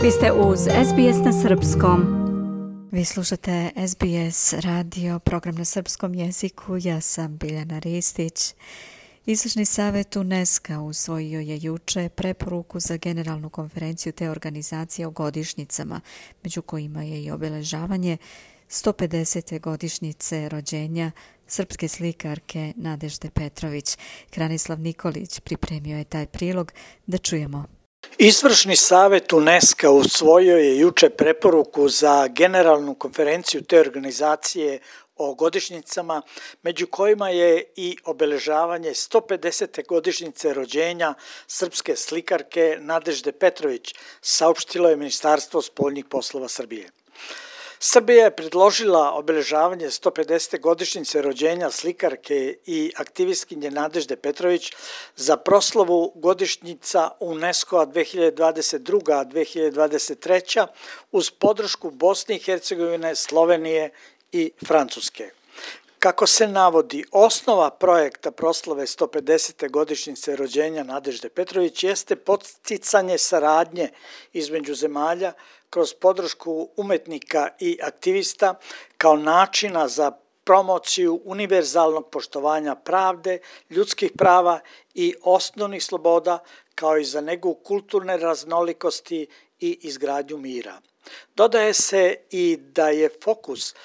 Vi ste uz SBS na srpskom. Vi slušate SBS radio, program na srpskom jeziku. Ja sam Biljana Ristić. Izvršni savjet UNESCO usvojio je juče preporuku za generalnu konferenciju te organizacije o godišnjicama, među kojima je i obeležavanje 150. godišnjice rođenja srpske slikarke Nadežde Petrović. Hranislav Nikolić pripremio je taj prilog, da čujemo. Izvršni savjet UNESCO usvojio je juče preporuku za generalnu konferenciju te organizacije o godišnjicama, među kojima je i obeležavanje 150. godišnjice rođenja srpske slikarke Nadežde Petrović, saopštilo je Ministarstvo spoljnih poslova Srbije. Srbija je predložila obeležavanje 150. godišnjice rođenja slikarke i aktivistkinje Nadežde Petrović za proslavu godišnjica UNESCO-a 2022-2023 uz podršku Bosne i Hercegovine, Slovenije i Francuske. Kako se navodi, osnova projekta proslave 150. godišnjice rođenja Nadežde Petrović jeste podsticanje saradnje između zemalja kroz podršku umetnika i aktivista kao načina za promociju univerzalnog poštovanja pravde, ljudskih prava i osnovnih sloboda, kao i za negu kulturne raznolikosti i izgradnju mira. Dodaje se i da je fokus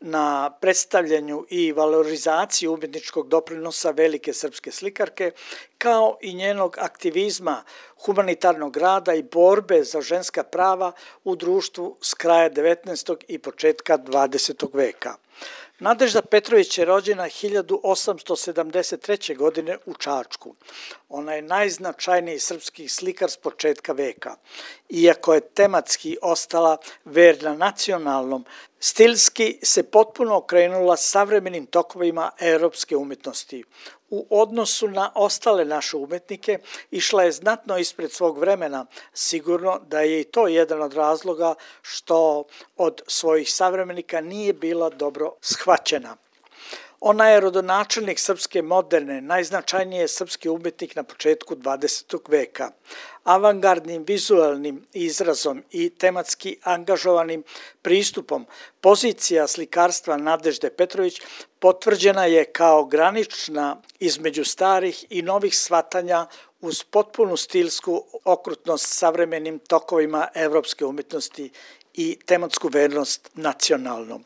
na predstavljanju i valorizaciji umjetničkog doprinosa velike srpske slikarke, kao i njenog aktivizma, humanitarnog rada i borbe za ženska prava u društvu s kraja 19. i početka 20. veka. Nadežda Petrović je rođena 1873. godine u Čačku. Ona je najznačajniji srpski slikar s početka veka. Iako je tematski ostala verna nacionalnom, stilski se potpuno okrenula savremenim tokovima europske umjetnosti. U odnosu na ostale naše umetnike išla je znatno ispred svog vremena, sigurno da je i to jedan od razloga što od svojih savremenika nije bila dobro shvaćena. Ona je rodonačelnik srpske moderne, najznačajniji srpski umjetnik na početku 20. veka. Avangardnim vizualnim izrazom i tematski angažovanim pristupom pozicija slikarstva Nadežde Petrović potvrđena je kao granična između starih i novih shvatanja uz potpunu stilsku okrutnost savremenim tokovima evropske umjetnosti i tematsku vernost nacionalnom.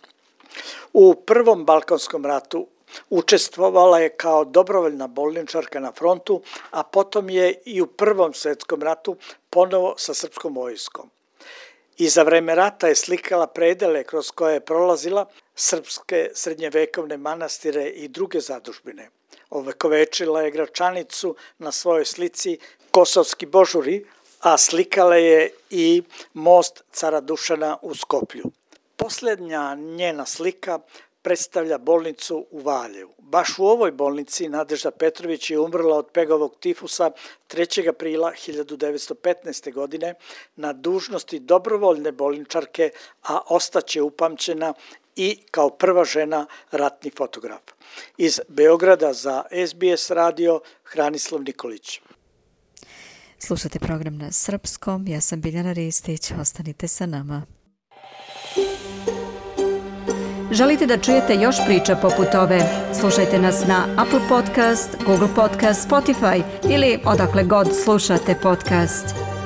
U Prvom Balkanskom ratu učestvovala je kao dobrovoljna bolničarka na frontu, a potom je i u Prvom svjetskom ratu ponovo sa srpskom vojskom. I za vreme rata je slikala predele kroz koje je prolazila srpske srednjevekovne manastire i druge zadužbine. Ovekovečila je Gračanicu na svojoj slici Kosovski božuri, a slikala je i most cara Dušana u Skoplju. Posljednja njena slika predstavlja bolnicu u Valjevu. Baš u ovoj bolnici Nadežda Petrović je umrla od pegovog tifusa 3. aprila 1915. godine na dužnosti dobrovoljne bolničarke, a ostaće upamćena i kao prva žena ratni fotograf. Iz Beograda za SBS radio, Hranislav Nikolić. Slušate program na srpskom, ja sam Biljana Ristić, ostanite sa nama. Želite da čujete još priča poput ove? Slušajte nas na Apple Podcast, Google Podcast, Spotify ili odakle god slušate podcast.